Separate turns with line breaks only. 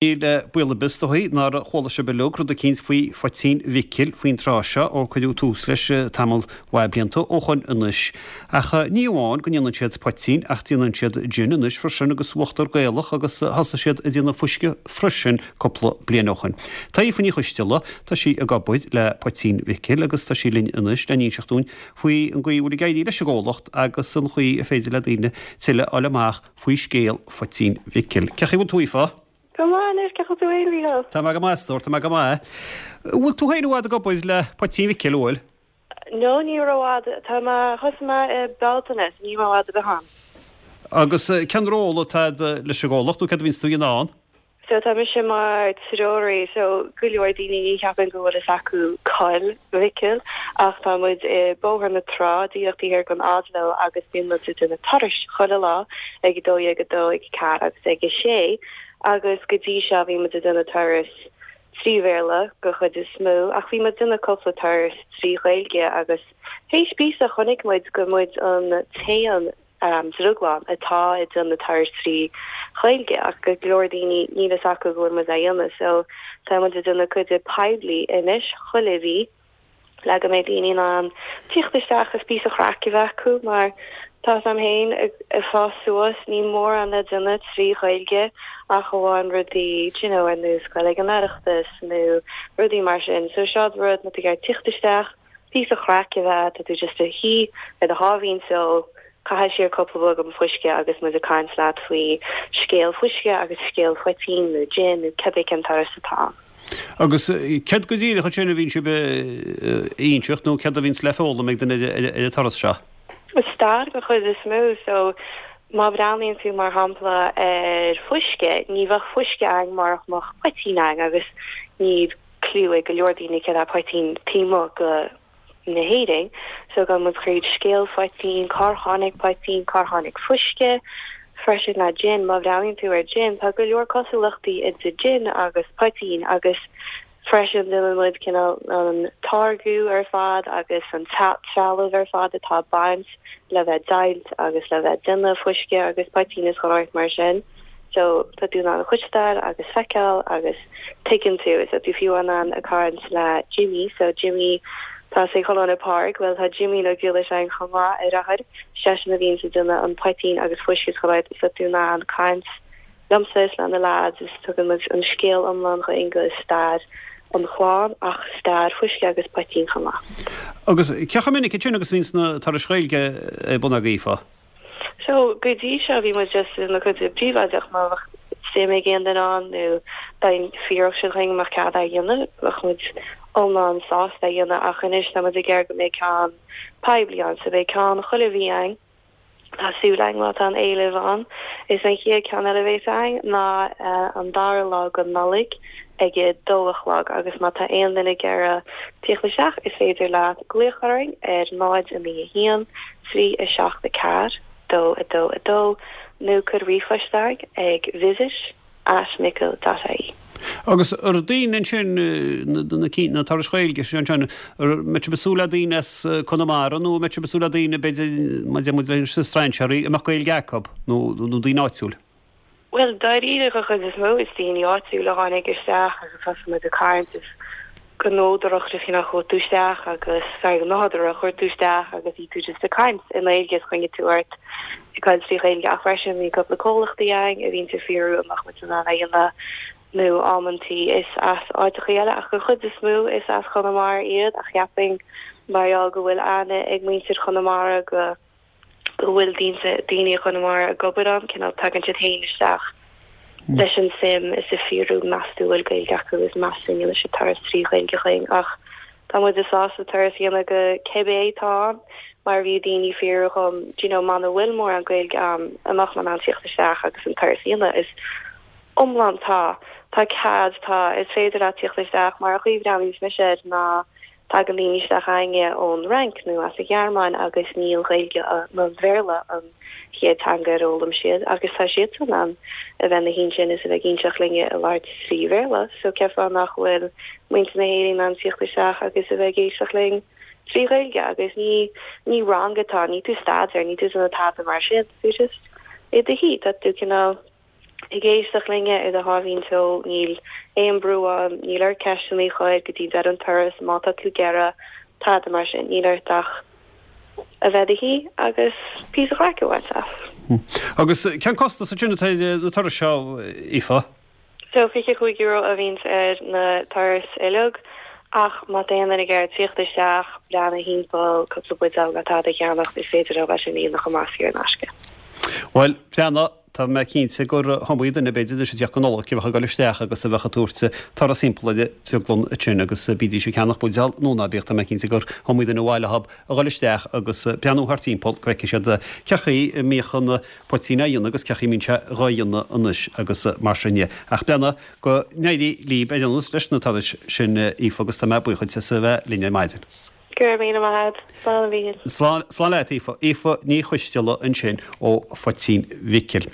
Níl baol ar bith is dóigh nár chuala sibh uilig rud eicínt faoi phoitín Mhicil faoin tráth seo ó cuireadh tús leis tamall mhaith blianta ó shoin anois. Ach ní amháin go ndéanann siad poitín ach déanann siad jin anois freisin agus uachtar Gaelach agus thosaigh siad ag déanamh fuisce freisin cúpla bliain ó shoin. Tá Aoife Ní Choisteala, tá sí ag obair le Poitín Mhicil agus tá sí linn anois le n-inseacht dúinn faoi an gcaoi a bhfuil ag éirí leis an gcomhlacht agus an chaoi a féidir le daoine tuilleadh a fháil amach faoi scéal phoitín Mhicil. Cén chaoi a bhfuil tú, Aoife?
Go maith anois, cén chaoi a bhfuil tú fhéin, a Mhícheáil?
Tá mé go maith, a stór, tá mé go maith. An bhfuil tú féin i bhfad ag obair le Poitín Mhicil, an bhfuil?
No, ní rófhada. Tá mé, thosaigh mé i Bealtaine, so níl mé i bhfad ar bith ann.
Agus cén ról atá agat leis an gcomhlacht, nó céard a bhíonns tú a dhéanamh ann?
So tá mise mar treoraí so go leor daoine ní cheapaim go bhfuil fhios acu coill Mhicil ach tá muid i Bóthar na Trá díreach taobh thiar den Oslo agus bíonn muid ag déanamh turais chuile lá ag 12, 2, ag 4 agus ag 6 agus go dtí seo bhí muid ag déanamh turas trí Bhéarla go chuid is mó ach bhí muid ag déanamh cúpla turas trí Ghaeilge agus théis píosa chonaic muid gur muid an t-aon drioglann atá ag déanamh turais trí Ghaeilge ach go leor daoine níl fhios acu go bhfuil muid á dhéanamh so tá muid ag déanamh cuid de poiblí anois chuile mhí le go mbeidh daoine in ann tíocht isteach is píosa chraic a bheith acu mar tá 'fhios a'm féin ag fás suas níl mórán le déanamh trí Ghaeilge ach amháin rudaí do you know ar nós goil ag an Oireachtas nó rudaí mar sin so seo rud má tá tú ag iarraidh tíocht isteach píosa chraic a bheith, tá tú just i do shuí ar do sháimhín só, caitheamh siar cúpla bogadh fuisce agus muid ag caint leat faoi scéal fuisce agus scéal poitín nó gin nó cibé cén turas atá ann.
Agus céard go díreach ansin a bhíonn sibh a inseacht nó céard a bhíonns le foghlaim ag duine ar an turas seo?
Stair den chuid is mó, so má bhreathnaíonn tú mar shampla ar fuisce, ní bheadh fuisce againn murach mbeadh poitín againn agus ní cliú ag go leor daoine céard é poitín taobh amuigh go na hÉirinn so gabhann muid thríd scéal phoitín, cár tháinig poitín, cár tháinig fuisce freisin le gin, má bhreathnaíonn tú ar gin tá go leor cosúlachtaí idir gin agus poitín agus freisin déanann muid cineál an táirgiú ar fad agus an trealamh ar fad atá ag baint le bheith deighilt agus le bheith déanamh fuisce agus poitín is chuile shórt mar sin. So tá tú in ann cloisteáil agus feiceáil agus tuigeann tú, is tá tú fiú in ann ag caint le Jimmy, so Jimmy tá sé ag dul an páirc, bhuel tá Jimmy Ó Giolla ann chomh maith ar athair, seisean a bhíonn ag déanamh an poitín agus fuisce is chuile shórt, so tá tú in ann caint liomsa is le na lads is tugann muid an scéal iomlán chugainn go stair an chlann ach stair fuisce agus poitín chomh maith.
Agus cé chomh minic ansin agus a bhíonns na turais Ghaeilge ar bun agaibh, Aoife?
So, go dtí seo bhí muid just ag déanamh cuid de príobháideach má bheadh suim ag aon duine ann nó dá bhfiafródh siad dhúinn an mbeadh cead é a dhéanamh, bheadh muid iomlán sásta é a dhéanamh ach anois tá muid ag iarraidh go mbeidh ceann poiblí ann so beidh ceann chuile mhí againn, tá súil againn má tá an éileamh ann. Is an chéad ceann eile a bhéas againn ná an dara lá go Nollaig ag a dó a chlog agus má tá aon duine ag iarraidh tíocht isteach is féidir leat glaoch orainn ar 0 9 1 3 7 4 2 2 2 nó cuir ríomhphost againn ag visit at micil dot ie.
Agus ar daoine ansin, na turais Ghaeilge sin ansin, an mbeidh sibh ag súil le daoine as Conamara nó an mbeidh sibh ag súil le daoine, b'fhéidir, mar a deir muid leis na strainséirí, a mbeadh Gaeilge acu nó daoine áitiúil?
Bhuel, dáiríre, den chuid is mó, is daoine áitiúla a tháinig isteach agus thosaigh muid ag caint is go nádúrach just you know chuaigh tú isteach agus, sorry, go nádúrtha chuaigh tú isteach agus bhí tú just ag caint i nGaeilge is choinnigh tú ort ag caint trí Ghaeilge ach freisin bhí cúpla comhlachtaí againn a bhíonn ag fiafraí an mbeadh muid in ann a dhéanamh nó amantaí is as áiteachaí eile ach den chuid is mó is as Conamara iad ach cheapfainn mar gheall go bhfuil aithne ag muintir Chonamara go go bhfuil daoine, daoine i gConamara ag obair ann, cineál tagann siad féin isteach leis an suim is ag fiafraí meas tú bhfuil Gaeilge acu is meas tú an ndéanfaidh siad turas trí Ghaeilge chugainn ach tá muid sásta turas a dhéanamh go cibé atá ann mar bhí daoine ag fiafraí dhom do you know muna bhfuil mórán Gaeilge ann an mbeadh mé in ann tíocht isteach agus an turas a dhéanamh is iomlán tá tá cead tá is féidir leat tíocht isteach mar an chaoi a bhreathnaíonns mise air ná Tagann daoine isteach againne ón Fhrainc nó as an Ghearmáin agus ní an Ghaeilge nó an Bhéarla an chéad teanga ar fhoghlaim siad agus tá siadsan in ann a bheith ina shuí ansin is a bheith ag inseacht linne ag labhairt trí Bhéarla so cén fáth nach bhfuil muintir na hÉireann in ann tíocht isteach agus a bheith ag éisteacht linn trí Ghaeilge agus ní ní rang atá, níl tú ag staidéar, níl tú ag déanamh tada mar sin, tá tú just i do shuí, tá tú cineál. Ag éisteacht linne ar do sháimhín só, níl aon brú ann, níl ort ceisteanna a chur go dtí deireadh an turas, má tá tú ag iarraidh, tada mar sin, níl ort ach a bheith i do shuí agus píosa craic a bhaint as.
Agus cén costas ansin atá ar na turais seo, Aoife?
So, €25 a bhíonns ar na turais uilig, ach má tá aon duine ag iarraidh tíocht isteach, breathnú thimpeall, cúpla buidéal nó tada a cheannacht, is féidir leo é sin a dhéanamh chomh maith saor in aisce.
Bhuel, breathnaigh, Tá mé cinnte gur iomaí duine, b'fhéidir, anois ag tíocht don Nollaig, a bheadh ag dul isteach agus a bheadh ag tabhairt turas thimpeall ar an drioglann ansin agus bídís ag ceannach buidéal nó ná bíodh, tá mé cinnte gur iomaí duine ar mhaith leo a dhul isteach agus breathnú thart timpeall go bhfeicfidh siad cén chaoi a mbíodh an poitín á dhéanamh agus cén chaoi a mbíonn sé dhá dhéanamh anois agus mar sin de. Ach breathnaigh, go n-éirí libh ar aon nós leis na turais sin, Aoife, agus tá mé buíoch duit as a bheith linn ar maidin.
Go raibh míle maith agat. Slán a Mhíchíl.
Slán, slán leat, Aoife. Aoife Ní Choisteala ansin ó Phoitín Mhicil.